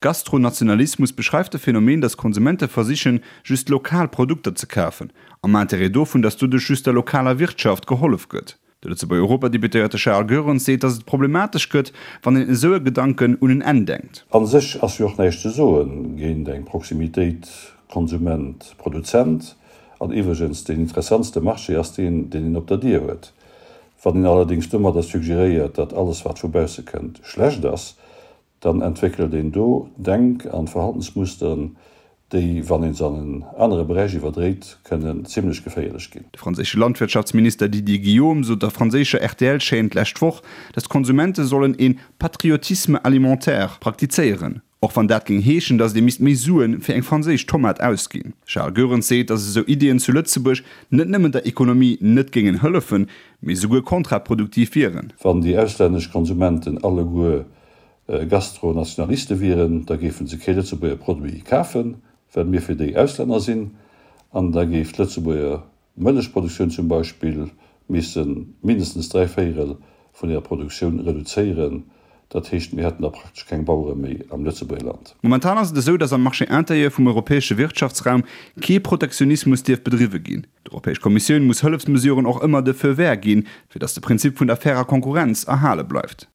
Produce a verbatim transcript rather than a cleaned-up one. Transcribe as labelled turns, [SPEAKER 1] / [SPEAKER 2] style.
[SPEAKER 1] Gastronationalismus beschreift de Phänomen, dass Konsumente versichen, just lokal Produkter ze kafen, am Interêt dovun, dass doduerch just der lokaler Wirtschaft gehollef gëtt. De Lëtzebuerger Europadeputéierte Charles Goerens seet, dass et problematesch gëtt, wann een esou e Gedanken un en Enn denkt.
[SPEAKER 2] An sech ass jo och näischt ze soen géint eng Proximitéit Konsument, Produzent. An iwwregens, deen interessantste Marché ass deen, deen een op der Dier huet. Wann een allerdéngs domadder suggeréiert, datt alles wat vu bausse kënnt schlecht ass, dann entwéckelt een do Denk an Verhaltensmusteren, déi, wann een se an en anere Beräich iwwerdréit, kënnen zimlech geféierlech ginn.
[SPEAKER 1] De franséische Landwirtschaftsminister Didier Guillaume sot der franséischer R T L-Chaîne d'lescht Woch, dass d'Konsumente sollen een patriotisme alimentaire praktizéieren. Och wann dat géing heeschen, dass ee misst méi Suen fir eng franséisch Tomat ausginn. Charles Goerens seet, dass esou Iddien zu Lëtzebuerg net nëmmen der Ekonomie net géingen hëllefen, mee souguer kontraproduktiv wieren.
[SPEAKER 2] Wann déi auslännesch Konsumenten alleguer Gastronationaliste wieren, da géife se kee Lëtzebuerger Produit kafen, well mir fir déi Auslänner sinn, an da géif d'Lëtzebuerger Mëllechproduktioun zum Beispill misse mindestens dräi Véierel vun hirer Produktioun reduzéieren. Dat heescht, mir hätten da praktesch keng Bauere méi am Lëtzebuerger Land.
[SPEAKER 1] Momentan ass et esou, dass am Marché intérieur vum europäesche Wirtschaftsraum kee Protektionismus dierf bedriwwe ginn. D'Europäesch Kommissioun muss Hëllefsmesuren och ëmmer de Feu vert ginn, fir dass de Prinzip vun der fairer Konkurrenz erhale bleift.